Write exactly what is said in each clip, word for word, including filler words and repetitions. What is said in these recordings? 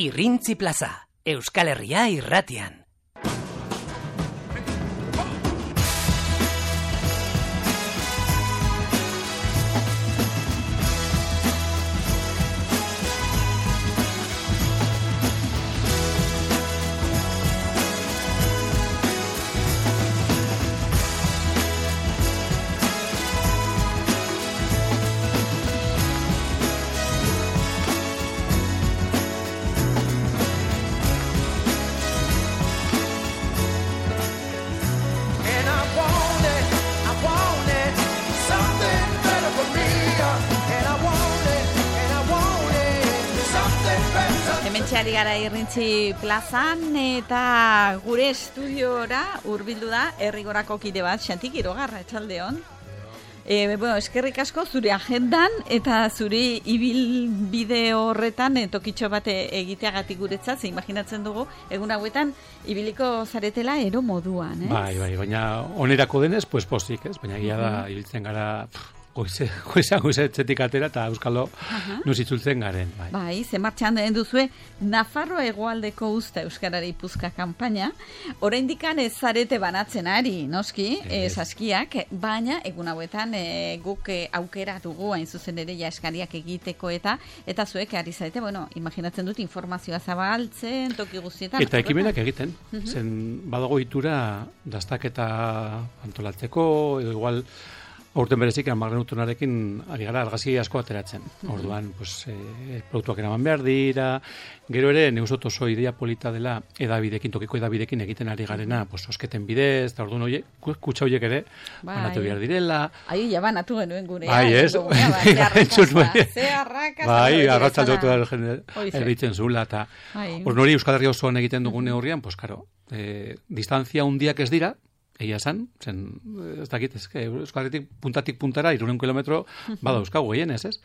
Irrintzi plaza, Euskal Herria irratian. Ari gara Irrintzi plazan eta gure estudiora hurbildu da Herrigorako kide bat, Xanti Quirogarra, etxaldeon. E, bueno, eskerrik asko zure agendan eta zure ibilbide horretan e, tokitxo bat egiteagatik guretzat, ze imaginatzen dugu egun hauetan ibiliko zaretela ero moduan, ez? Bai, bai, baina onerako denez, pues pozik, ez? Baina gila da, ibiltzen gara... Goize, goize, goize etxetik atera eta Euskalo uh-huh. nuzitzultzen garen. Bai, bai ze martxan den duzue Nafarroa hegoaldeko usta Euskarari puzka kanpaina. Oraindikan ez zarete banatzen ari, noski, e, saskiak, baina egun hauetan e, guk e, aukera dugu hain zuzen ere ja eskariak egiteko eta eta zuek ari zarete, bueno, imaginatzen dut informazioa zabaltzen, toki guztietan. Eta ekimenak egiten, uh-huh. zen badago itura dastaketa antolatzeko, edo igual aurten berezik amarren utonarekin ari gara argazki asko ateratzen. Orduan, pues, e, produktuak eraman behar dira, gero ere, neuzot oso idea polita dela edabidekin, tokiko edabidekin egiten ari garena, pues, osketen bidez, eta orduan oie, kutsa horiek ere, bai. Banatu behar direla. Ai, ja banatu genuen gure. Bai, ez? Bai, arratzaldotu da erditzen zula, eta orduan hori Euskal Herria osoan egiten dugun neurrian, pues, karo, e, distantzia hundiak ez dira, egia esan, zen, ez dakit, ez, Euskal Herritik puntatik puntara, irunen kilometro, bada euskagu gehienez, ez?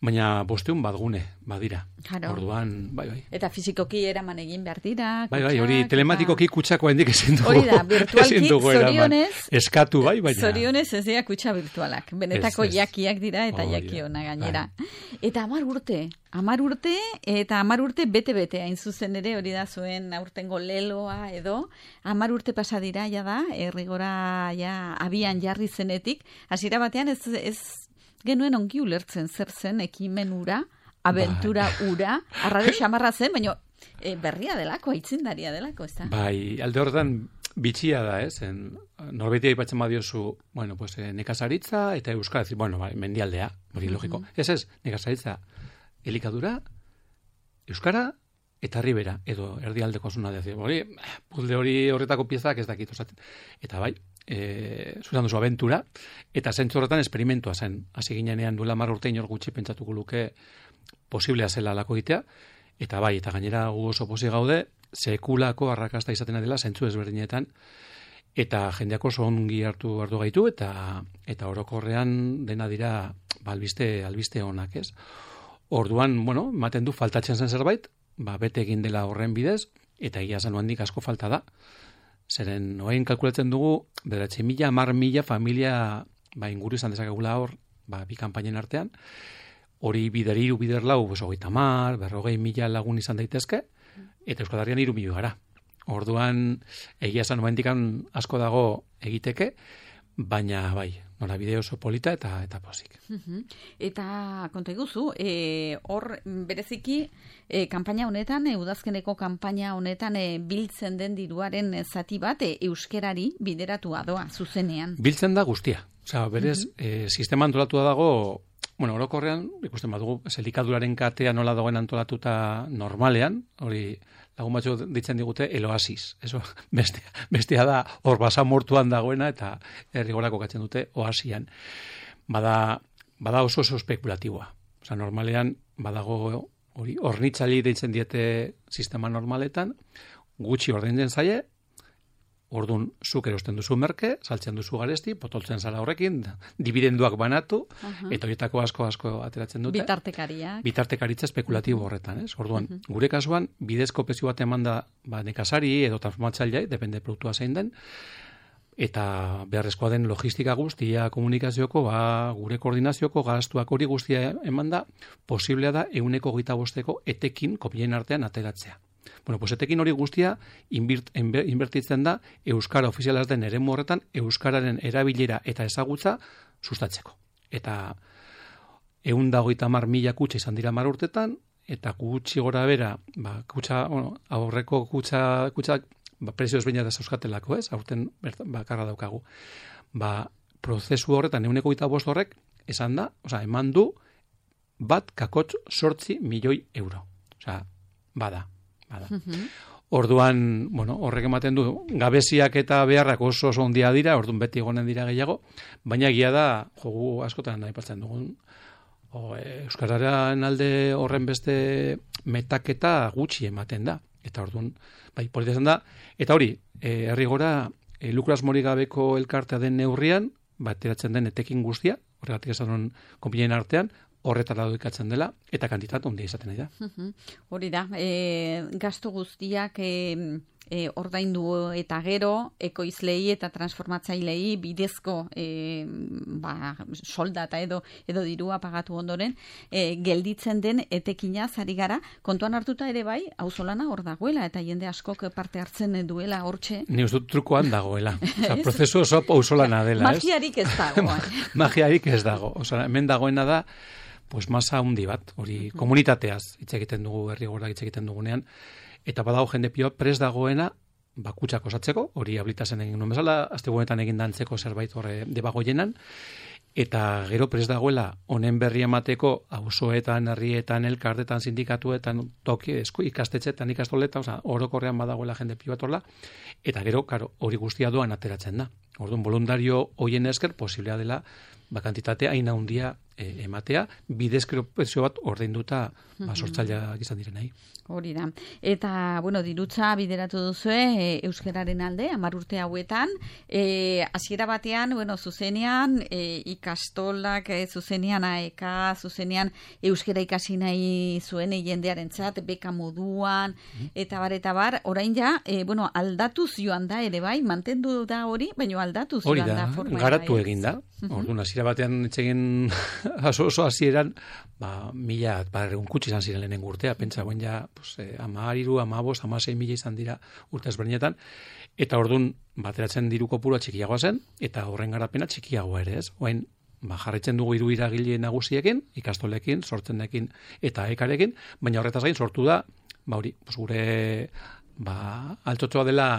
Baina bosteun bat gune, badira. Claro. Orduan, bai, bai. Eta fizikoki eraman egin behar dira. Bai, bai, hori telematikoki kutsako hendik ezin dugu. Hori da, virtualki, zorionez. Eskatu, bai, baina. Zorionez ez dira kutsa virtualak. Benetako ez, ez. Jakiak dira eta oh, jaki ona gainera. Bai. Eta amar urte, amar urte, eta amar urte bete-bete, hain zuzen ere, hori da zuen aurtengo leloa edo, amar urte pasa dira, ja da, Herrigora ja abian jarri zenetik, hasiera batean ez, ez genuen ongi ulertzen zer zen ekimen ura, abentura ura, arraro xamarra zen, baina e, berria delako, aitzindaria delako, ez da? Bai, alde horretan bitxia da, ez? Norbeiti aipatzen badiozu, bueno, pues, nekazaritza eta euskara, bueno, bai, mendialdea, hori logiko. Mm-hmm. Ez ez, nekazaritza, elikadura, euskara, eta ribera, edo erdialdeko zuna dezi. Hori, puzle hori horretako piezak ez dakit osatzen. Eta bai, e, zuzan duzu abentura, eta zentzu horretan esperimentua zen. Hasi ginenean duela mar urte inor gutxi pentsatuko luke posiblea zela lako egitea, eta bai, eta gainera gu oso posi gaude, sekulako arrakasta izaten dela zentzu ezberdinetan, eta jendeako oso ongi hartu hartu gaitu, eta eta orokorrean dena dira albiste, albiste onak, ez? Orduan, bueno, ematen du faltatzen zen zerbait, ba, bete egin dela horren bidez, eta egia zan handik asko falta da. Zeren, oain kalkulatzen dugu, bederatzi mila, mar mila familia ba, inguru izan dezakegula hor, ba, bi kanpainen artean, hori bider iru, bider lau, pues, hogeita mar, berrogei mila lagun izan daitezke, eta Euskal Herrian iru milioi gara. Orduan, egia zan oaindikan asko dago egiteke, baina bai, nora bide oso polita eta eta pozik. Uh-huh. Eta konta iguzu, e, hor bereziki e, kanpaina honetan, e, udazkeneko kanpaina honetan e, biltzen den diruaren zati bat e, euskerari bideratua doa, zuzenean. Biltzen da guztia. Osea, berez, uh-huh. e, sistema antolatua dago, bueno, orokorrean, ikusten badugu, elikaduraren katea nola dagoen antolatuta normalean, hori lagun batzu ditzen digute eloasis. Eso, bestea, bestea da hor basamortuan dagoena eta Herrigorako katzen dute oasian. Bada, bada oso oso espekulatiboa. Osea, normalean badago hori hornitzali deitzen diete sistema normaletan, gutxi ordaintzen zaie, orduan zuk erosten duzu merke, saltzen duzu garesti, potoltzen zara horrekin, dividenduak banatu, uh-huh. eta horietako asko asko ateratzen dute. Bitartekariak. Bitartekaritza espekulatibo uh-huh. horretan, ez? Orduan, uh-huh. gure kasuan, bidezko prezio bat eman da ba, nekazari edo transformatzailea, depende produktua zein den, eta beharrezkoa den logistika guztia, komunikazioko, ba, gure koordinazioko gastuak hori guztia eman da, posiblea da euneko gita bosteko etekin kopien artean ateratzea. Bueno, pues etekin hori guztia inbirt, inbertitzen da Euskara ofizialaz den eremu horretan Euskararen erabilera eta ezagutza sustatzeko. Eta ehun eta hogeita hamar mila kutxa izan dira hamar urtetan, eta gutxi gora bera, ba, kutxa, bueno, aurreko kutxa, kutxa ba, prezio ezberdina da euskatelako, ez? Aurten bakarra daukagu. Ba, prozesu horretan ehuneko hogeita bost horrek esan da, osea, eman du bat kakotx sortzi milioi euro. Osea, bada, bada. Uh-huh. Orduan, bueno, horrek ematen du, gabeziak eta beharrak oso oso ondia dira, orduan beti egonen dira gehiago, baina egia da, jogu askotan aipatzen dugun, o, Euskararen alde horren beste metaketa gutxi ematen da. Eta orduan, bai, polita zen da, eta hori, e, herri gora, e, lukras mori gabeko elkartea den neurrian, bateratzen den etekin guztia, horregatik esan hon konpinen artean, horretara doikatzen dela, eta kantitat ondia izaten da. Hori da, e, gastu guztiak e, e, ordaindu eta gero, ekoizlei eta transformatzailei bidezko e, ba, soldata edo edo dirua pagatu ondoren, e, gelditzen den etekina zari gara, kontuan hartuta ere bai, auzolana hor dagoela, eta jende askok parte hartzen duela hortxe. Ni uste dut trukoan dagoela. Osa, prozesu oso auzolana dela, ez? Magiarik ez dago. Magiarik ez dago. Osa, hemen dagoena da, pues masa handi bat, hori komunitateaz hitz egiten dugu, herri gora hitz egiten dugunean, eta badago jende pio prest dagoena bakutsak osatzeko, hori ablitazen egin nuen bezala, astegunetan egin dantzeko zerbait horre debagoienan, eta gero prest dagoela honen berri emateko auzoetan, herrietan, elkartetan, sindikatuetan, toki, esku, ikastetxetan, ikastoletan, oza, orokorrean badagoela jende pio bat horla, eta gero, karo, hori guztia doan ateratzen da. Orduan, voluntario hoien esker, posiblea dela, ba, kantitatea hain handia e, ematea, bidezkero prezio bat ordainduta ba, sortzaileak izan direnei. Hori da. Eta, bueno, dirutza bideratu duzue e, euskararen alde, hamar urte hauetan, e, hasiera batean, bueno, zuzenean, e, ikastolak, e, zuzenean aeka, zuzenean euskara ikasi nahi zuen jendearen txat, beka moduan, eta bar, eta bar, orain ja, e, bueno, aldatuz joan da ere bai, mantendu da hori, baina aldatuz hori joan da, da. Hori da, garatu egin da. Orduan, hasiera batean etxegin oso oso hasieran, ba, mila, ba, egun kutsi izan ziren lehenen urtea, pentsa, guen ja, pues, eh, ama ariru, ama bost, ama sei mila izan dira urte ezberdinetan, eta orduan, bateratzen diru kopurua txikiagoa zen, eta horren garapena txikiagoa ere, ez? Oain, ba, jarraitzen dugu hiru iragile nagusiekin, ikastolekin, sortzenekin, eta ekarekin, baina horretaz gain sortu da, ba, hori, pues, gure, ba, altotxoa dela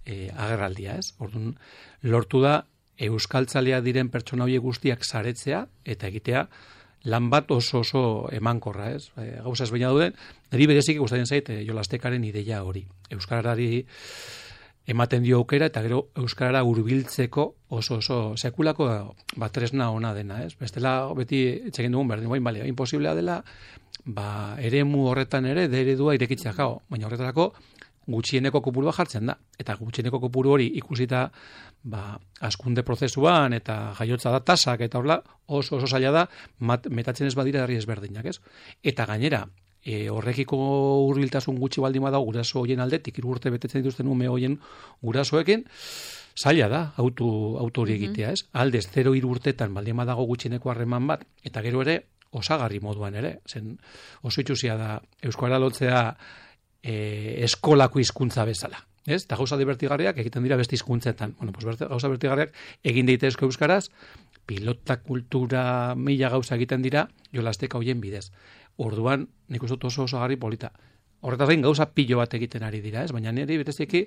e, agerraldia, ez? Orduan, lortu da, euskaltzalea diren pertsona horiek guztiak saretzea eta egitea lan bat oso oso emankorra, ez? E, gauza ezberdina dauden, niri berezik gustatzen zait e, Jolastekaren ideia hori. Euskarari ematen dio aukera eta gero euskarara hurbiltzeko oso oso sekulako ba tresna ona dena, ez? Bestela beti etxegin dugun berdin, baina bale, imposiblea dela, ba eremu horretan ere de eredua irekitzea kao, baina horretarako gutxieneko kopurua jartzen da. Eta gutxieneko kopuru hori ikusita ba, askunde prozesuan eta jaiotza da tasak eta horla oso oso zaila da mat, metatzen ez badira herri ezberdinak, ez? Eta gainera, e, horrekiko hurbiltasun gutxi baldin badago guraso hoien aldetik, hiru urte betetzen dituzten ume hoien gurasoekin, zaila da auto auto hori egitea, ez? Aldez zero hiru urtetan baldin badago gutxieneko harreman bat eta gero ere osagarri moduan ere, zen oso itxusia da euskara lotzea E, eskolako hizkuntza bezala. Ez? Eta gauza divertigarriak egiten dira beste hizkuntzetan. Bueno, pues gauza divertigarriak egin daitezke euskaraz, pilota kultura mila gauza egiten dira Jolasteka hoien bidez. Orduan, nik uste oso oso garri polita. Horretaz gain gauza pilo bat egiten ari dira, ez? Baina niri bereziki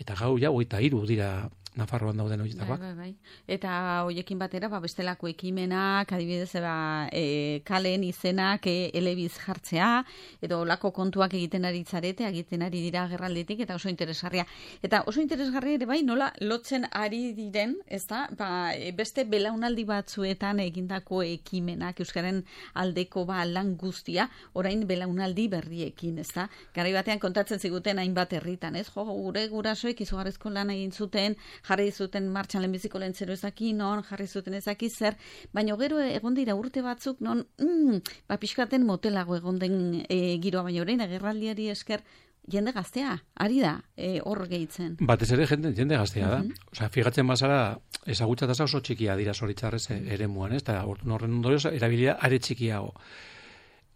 eta gau ja hogeita hiru dira Nafarroan dauden horietakoak. Bai, bai, bai. Eta hoiekin batera, ba, bestelako ekimenak, adibidez, ba, e, kalen izenak e, elebiz jartzea, edo olako kontuak egiten ari zarete, egiten ari dira gerraldetik, eta oso interesgarria. Eta oso interesgarria ere bai, nola lotzen ari diren, ez da, ba, beste belaunaldi batzuetan egindako ekimenak, euskaren aldeko ba, lan guztia, orain belaunaldi berriekin, ez da. Garai batean kontatzen ziguten hainbat herritan, ez? Jo, gure gurasoek izugarrizko lan egin zuten, jarri zuten martxan lehenbiziko lehentzero ezaki, non, jarri zuten ezaki zer, baina gero egon dira urte batzuk, non, mm, ba, pixkaten motelago egon den e, giroa, baina orain agerraldiari esker jende gaztea, ari da, e, hor gehitzen. Batez ere jende, jende gaztea da. Uh-huh. Osea, fijatzen bazara, ezagutza tasa oso txikia dira zoritxarrez eremuan, ez? Eta horren ondorioz, erabilia are txikiago.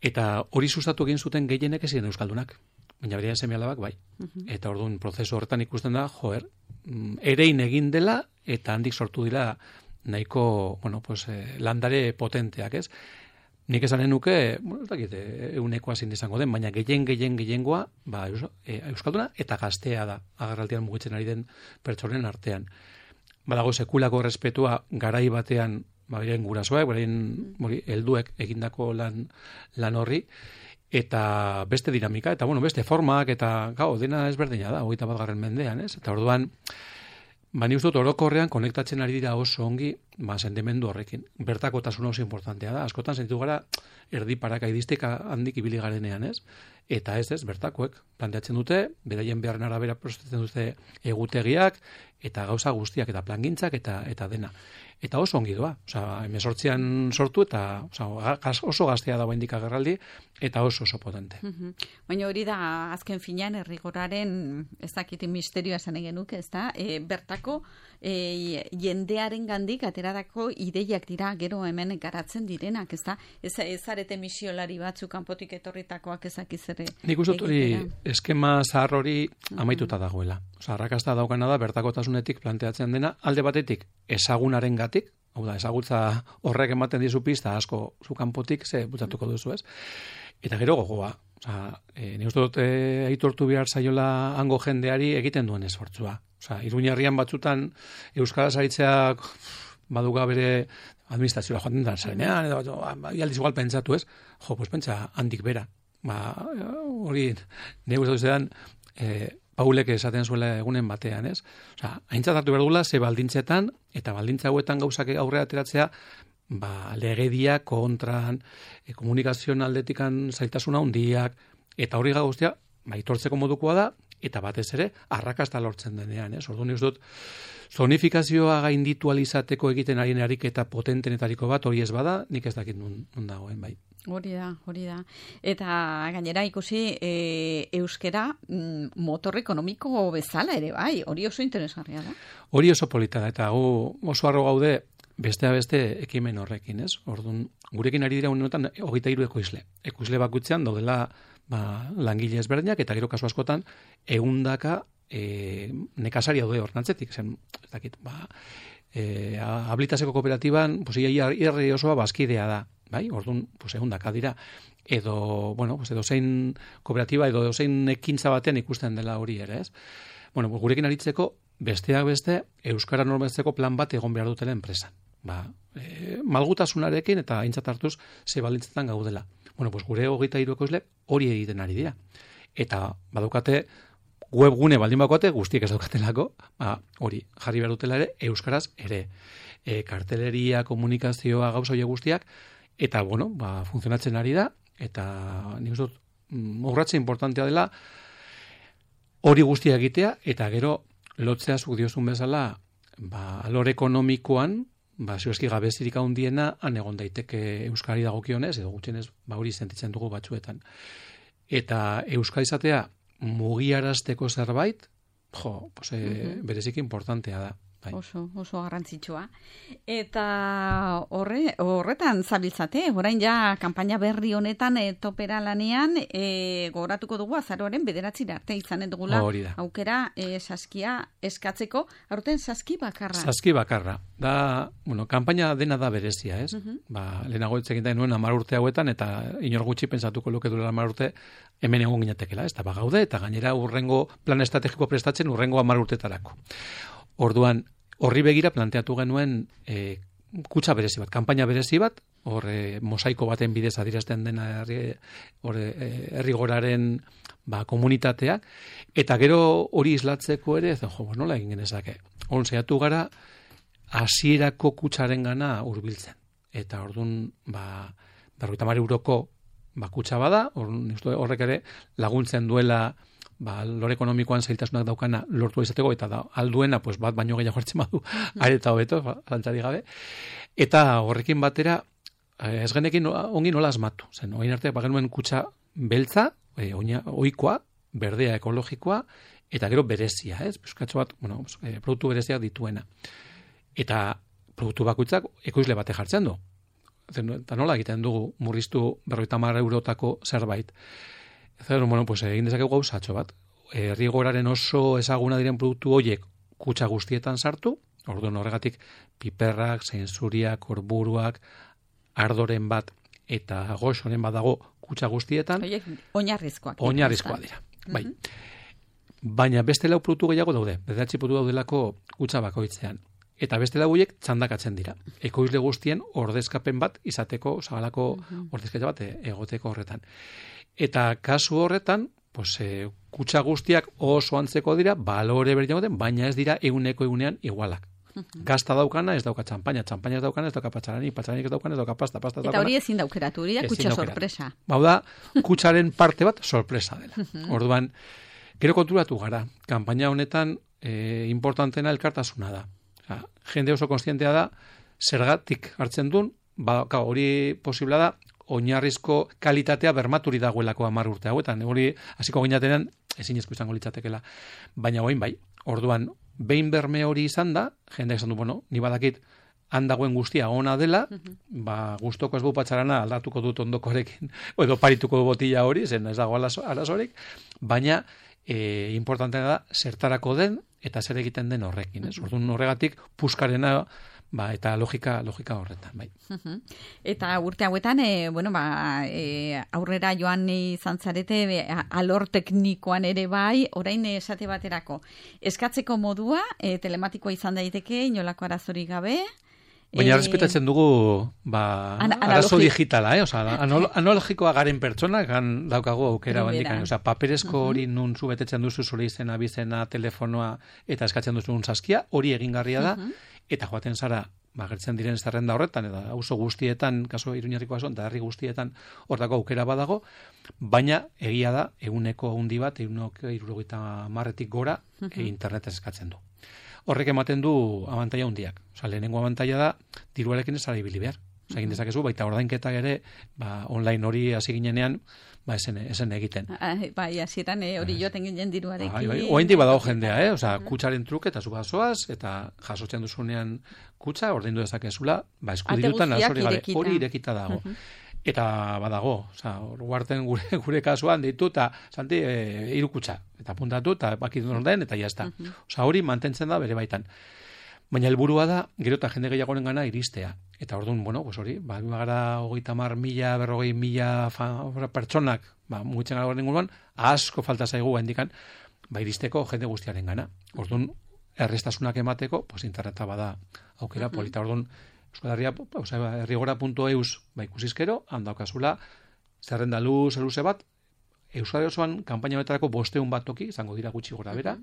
Eta hori sustatu egin zuten gehienek ez ziren euskaldunak. Baina berean seme-alabak bai. Uh-huh. Eta orduan prozesu horretan ikusten da, joer, erein egin dela, eta handik sortu dira nahiko, bueno, pues, eh, landare potenteak, ez? Nik esanen nuke, bueno, ez dakit, eunekoa zin izango den, baina gehien, gehien, gehiengoa, ba, euskalduna eta gaztea da, agarraltian mugitzen ari den pertsonen artean. Badago sekulako respetua garai batean, ba, beren gurasoak, beren mori, helduek egindako lan, lan horri, eta beste dinamika, eta bueno, beste formak, eta gau, dena ezberdina da, hogeita bat garren mendean, ez? Eta orduan, ba, ni uste dut orokorrean konektatzen ari dira oso ongi, ba, sentimendu horrekin. Bertakotasun oso importantea da. Askotan sentitu gara erdi parakaidistik handik ibili garenean, ez? Eta ez ez, bertakoek planteatzen dute, beraien beharren arabera prostatzen dute egutegiak, eta gauza guztiak, eta plangintzak, eta eta dena. Eta oso ongi doa. Osea, hemezortzian sortu, eta osea, oso gaztea dago indik agerraldi, eta oso oso potente. Uh-huh. Baina hori da, azken finean, errigoraren, ez dakit misterioa esan egin nuke, ez da, e, bertako e, jendearen gandik ateradako ideiak dira gero hemen garatzen direnak, ez da? Ez, ez arete misiolari batzuk kanpotik etorritakoak ezakiz ere. Nik uste hori eskema zahar hori amaituta dagoela. Osa, arrakasta daukana da bertakotasunetik planteatzen dena, alde batetik ezagunaren gatik, hau da, ezagutza horrek ematen dizu pista asko zu kanpotik, ze bultzatuko duzu, ez? Eta gero gogoa. Osa, e, ni uste dut e, aitortu behar zaiola hango jendeari egiten duen esfortzua. Osa, Iruñerrian batzutan euskaraz aritzeak baduga bere administrazioa joaten da zarenean, edo ialdiz igual pentsatu, ez? Jo, pues pentsa handik bera. Ba, hori, nire gustatu zedan, e, Paulek esaten zuela egunen batean, ez? Osea, aintzat hartu behar dugula, ze baldintzetan, eta baldintza hauetan gauzak aurrera ateratzea, ba, legedia kontran, e, komunikazioan aldetikan zailtasuna handiak, eta hori guztia, ba, itortzeko modukoa da, eta batez ere, arrakasta lortzen denean, ez? Orduan nik dut, zonifikazioa gainditu alizateko egiten arien ariketa potentenetariko bat, hori ez bada, nik ez dakit nun, nun dagoen, bai. Hori da, hori da. Eta gainera ikusi e, euskera mm, motor ekonomiko bezala ere, bai, hori oso interesgarria da. Hori oso polita da, eta gu oso harro gaude bestea beste ekimen horrekin, ez? Orduan, gurekin ari dira unetan hogeita hiru ekoizle. Ekoizle bakutzean daudela ba, langile ezberdinak, eta gero kasu askotan, ehundaka e, nekazari daude ornantzetik, zen, ez dakit, ba, e, habilitaseko kooperatiban, pues, irri osoa bazkidea da. Bai, orduan, pues, ehundaka dira, edo, bueno, pues, edo zein kooperatiba, edo zein ekintza batean ikusten dela hori ere, ez? Bueno, gurekin aritzeko, besteak beste, euskara normalizatzeko plan bat egon behar dutela enpresan. Ba, e, malgutasunarekin eta aintzat hartuz ze baldintzetan gaudela. Bueno, pues, gure hogeita hiru ekoizle hori egiten ari dira. Eta badukate webgune baldin bakoate, guztiek ez daukatelako, ba, hori, jarri behar dutela ere, euskaraz ere. E, karteleria, komunikazioa, gauza hori guztiak, eta, bueno, ba, funtzionatzen ari da, eta nik uste dut, urratze importantea dela, hori guztia egitea, eta gero, lotzea zuk diozun bezala, ba, alor ekonomikoan, ba, zioeski gabezirik handiena, han egon daiteke euskari dagokionez, edo gutxienez, ba, hori sentitzen dugu batzuetan. Eta euskara izatea, mugiarazteko zerbait, jo, pues, e, uh-huh. bereziki importantea da. Bai. Oso, oso garrantzitsua. Eta horre, horretan zabiltzate, orain ja kanpaina berri honetan e, topera lanean e, gogoratuko dugu azaroaren bederatzira arte izanen dugula aukera e, saskia eskatzeko, aurten saski bakarra. Saski bakarra. Da, bueno, kanpaina dena da berezia, ez? Uh-huh. Ba, lehenago etzekin da nuen hamar urte hauetan, eta inor gutxi pentsatuko luke duela hamar urte hemen egon ginetekela, ez da bagaude, eta gainera urrengo plan estrategiko prestatzen urrengo hamar urtetarako. Orduan, horri begira planteatu genuen e, kutsa berezi bat, kanpaina berezi bat, hor e, mosaiko baten bidez adierazten dena herri goraren ba, komunitatea, eta gero hori islatzeko ere, zen, jo, nola egin genezake. Hon zehatu gara, hasierako kutsaren gana hurbiltzen. Eta orduan, ba, berrogeita hamar euroko ba, kutsa bada, horrek ere laguntzen duela ba, lor ekonomikoan zailtasunak daukana lortu izateko, eta da, alduena, pues, bat baino gehiago hartzen badu, areta hobeto, zantzari gabe. Eta horrekin batera, ez genekin ongi nola asmatu. Zen, oin arte, bagenuen kutsa beltza, e, oina, oikoa, berdea ekologikoa, eta gero berezia, ez? Pizkatxo bat, bueno, e, produktu bereziak dituena. Eta produktu bakoitzak ekoizle bate jartzen du. Eta nola egiten dugu murriztu berrogeita hamar eurotako zerbait. Zer, bueno, pues egin dezakegu gauzatxo bat. Errigoraren oso ezaguna diren produktu horiek kutxa guztietan sartu, orduan horregatik piperrak, zeinzuriak, korburuak, ardoren bat eta goxoren bat dago kutxa guztietan. Oiek, oinarrizkoak. Oinarrizkoak dira, bai. Mm-hmm. Baina beste lau produktu gehiago daude, bederatzi produktu daudelako kutxa bakoitzean. Eta beste lau horiek txandakatzen dira. Ekoizle guztien ordezkapen bat izateko, zabalako mm-hmm. ordezketa bat egoteko horretan. Eta kasu horretan, pues, e, kutxa guztiak oso antzeko dira, balore berdin den, baina ez dira eguneko egunean igualak. Uh-huh. Gazta daukana ez dauka txampaina, txampaina ez daukana ez dauka patxarani, patxarani ez daukana ez dauka pasta, pasta ez daukana. Eta hori ezin daukeratu, hori da kutxa sorpresa. Bau da, kutxaren parte bat sorpresa dela. Uh-huh. Orduan, gero konturatu gara, kanpaina honetan e, importantena elkartasuna da. Osa, jende oso konstientea da, zergatik hartzen duen, ba, hori posibla da, oinarrizko kalitatea bermaturi dagoelako hamar urte hauetan. Hori hasiko ginatenean ezinezko izango litzatekeela. Baina orain bai. Orduan, behin berme hori izan da, jendeak esan du, bueno, ni badakit handagoen guztia ona dela, uh-huh. ba, gustoko ez bu patxarana aldatuko dut ondokoarekin, edo parituko botila hori, zen ez dago arazorik, baina e, importantea da zertarako den eta zer egiten den horrekin. Ez? Orduan horregatik puskarena ba, eta logika logika horretan, bai. Uh-huh. Eta urte hauetan, e, bueno, ba, e, aurrera joan izan zarete, e, alor teknikoan ere bai, orain esate baterako. Eskatzeko modua, e, telematikoa izan daiteke, inolako arazorik gabe. Baina respetatzen dugu ba, arazo digitala, eh? Osa, anal- analogikoa garen pertsonak gan daukagu aukera bandikan. Osa, paperezko uh-huh. hori nun zu betetzen duzu zure izena, bizena, telefonoa eta eskatzen duzu un saskia, hori egingarria da, uh-huh. eta joaten zara, ba, gertzen diren zerrenda horretan, eta auzo guztietan, kaso Iruñerriko ason, eta herri guztietan hortako aukera badago, baina egia da, eguneko handi bat, eguneko hirurogeita hamarretik gora, uh-huh. e, internetez eskatzen du. Horrek ematen du abantaila hundiak. Osa, lehenengo abantaila da, diruarekin ez ara ibili behar. Osa, egin dezakezu, baita ordainketak ere, ba, online hori hasi ginenean, ba, esen, esen egiten. Bai, hasieran eh, hori joten ginen diruarekin. Bai, bai. Oaindik badago jendea, eh? Osa, kutsaren truke eta zu bazoaz, eta jasotzen duzunean kutsa, ordaindu dezakezula, ba, eskudirutan azori gabe. Hori irekita dago. Uh-huh. Eta badago, oza, guarten gure, gure kasuan ditu, eta santi, e, iru kutsa, eta puntatu, eta bakit den, eta jazta. Uh-huh. Oza, hori mantentzen da bere baitan. Baina helburua da, gero eta jende gehiagoren gana iristea. Eta orduan, bueno, pues hori, ba, gara hogeita mar mila, berrogei mila pertsonak, ba, mugitzen gara inguruan, asko falta zaigu handikan, ba, iristeko jende guztiaren gana. Orduan, errestasunak emateko, pues interneta bada aukera uh-huh. polita. Orduan, errigora puntu eus ba, ikusizkero, handaukazula, zerrenda luz, luze bat, Euskadi osoan, kanpaina betarako bosteun bat toki, izango dira gutxi gora bera,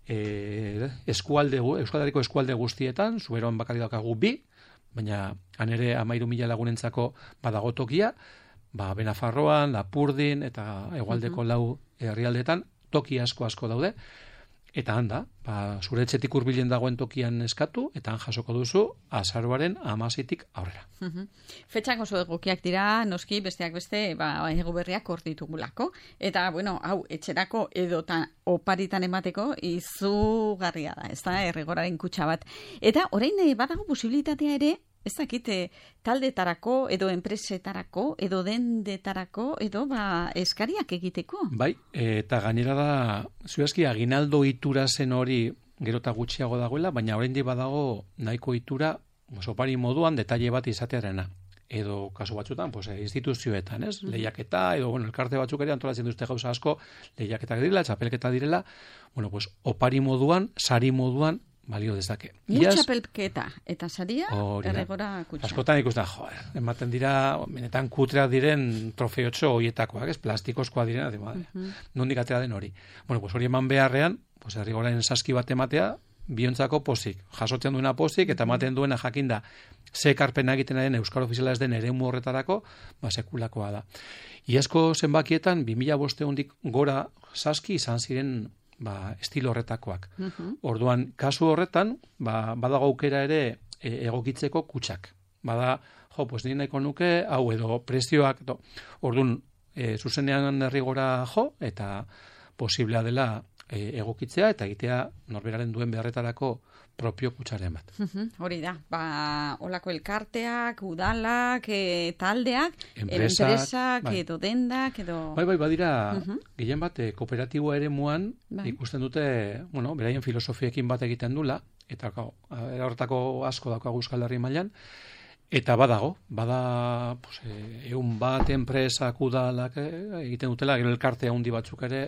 e, eskualde, Euskadiko eskualde guztietan, zuberoan bakarri daukagu bi, baina han ere amairu mila lagunentzako badago tokia, ba, Benafarroan, Lapurdin, eta hegoaldeko uh-huh. lau herrialdetan, toki asko asko daude, eta handa, ba, zure etxetik hurbilen dagoen tokian eskatu, eta han jasoko duzu azaroaren hamaseitik aurrera. Uh-huh. Fetxak oso egokiak dira, noski, besteak beste, ba, ego berriak hor ditugulako. Eta, bueno, hau, etxerako edota oparitan emateko izugarria da, ez da, errigoraren kutsa bat. Eta, orain badago posibilitatea ere, ez dakite, taldetarako, edo enpresetarako, edo dendetarako, edo ba, eskariak egiteko. Bai, eta gainera da, zuezki, aginaldo itura zen hori gero eta gutxiago dagoela, baina oraindik badago nahiko itura, opari moduan, detaile bat izatearena. Edo, kasu batzutan, pues, instituzioetan, ez? Mm-hmm. Lehiaketa, edo, bueno, elkarte batzuk ere antolatzen duzte gauza asko, lehiaketak direla, txapelketa direla, bueno, pues, opari moduan, sari moduan, balio dezake. Mucha pelketa eta saria erregora kutxa. Askotan ikusten, joder, ematen dira, benetan kutreak diren trofeotxo hoietakoak, ez, plastikozkoa direna, de madre. Uh-huh. Nondik atera den hori. Bueno, pues hori eman beharrean, pues errigoren saski bat ematea, biontzako pozik, jasotzen duena pozik, eta ematen duena jakinda, ze ekarpena egiten den euskal ofiziala ez den eremu horretarako, ba, sekulakoa da. Iazko zenbakietan, bi mila bosteundik gora saski izan ziren ba, estilo horretakoak. Uh-huh. Orduan, kasu horretan, ba, badago aukera ere e, egokitzeko kutsak. Bada, jo, pues ni nahiko nuke, hau edo prezioak, do. Orduan, e, zuzenean errigora jo, eta posiblea dela e, egokitzea eta egitea norberaren duen beharretarako propio kutsaren bat. Hori da, ba, olako elkarteak, udalak, e, taldeak, enpresak, enpresak, bai. edo dendak, edo... Bai, bai, badira, uh-huh. gehien bat, e, kooperatiboa ere muan, bai. ikusten dute, bueno, beraien filosofiekin bat egiten dula, eta horretako asko daukagu Euskal Herri mailan, eta badago, bada pues, e, egun bat enpresak udalak e, egiten dutela, gero elkarte handi batzuk ere,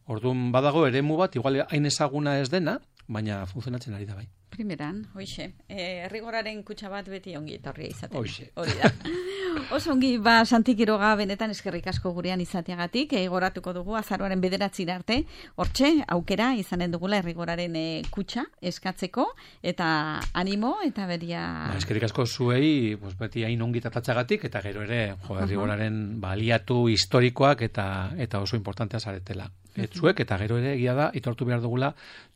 orduan badago eremu bat, igual hain ezaguna ez dena, baina funtzionatzen ari da bai. Primeran, hoixe. E, errigoraren kutxa bat beti ongi etorria izaten. Hoixe. Hori da. Oso ongi, ba, Santi Quiroga benetan eskerrik asko gurean izateagatik, egoratuko dugu azaroaren bederatzira arte, hortxe, aukera izanen dugula errigoraren e, kutxa eskatzeko, eta animo, eta beria... Ba, eskerrik asko zuei, pues, beti hain ongi tratatzagatik, eta gero ere, jo, errigoraren baliatu historikoak, eta eta oso importantea zaretela. Etzuek, eta gero ere, egia da, itortu behar dugula,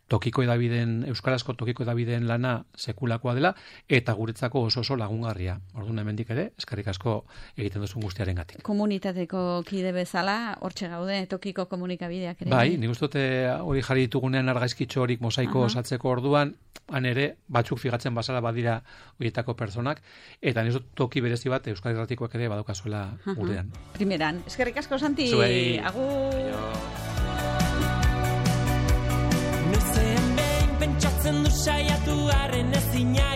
tokiko edabideen, euskarazko tokiko edabideen lana sekulakoa dela, eta guretzako oso oso lagungarria. Orduan hemendik ere, eskerrik asko egiten duzun guztiaren gatik. Komunitateko kide bezala, hortxe gaude, tokiko komunikabideak ere. Bai, nik uste dute hori jarri ditugunean argaizkitxo horik mosaiko osatzeko orduan, han ere, batzuk figatzen bazara badira horietako personak, eta nik uste toki berezi bat Euskal Irratikoak ere badukazuela gurean. Primeran, eskerrik asko, Santi. Zuei. Agur. Noizean behin pentsatzen du saiatu arren ezina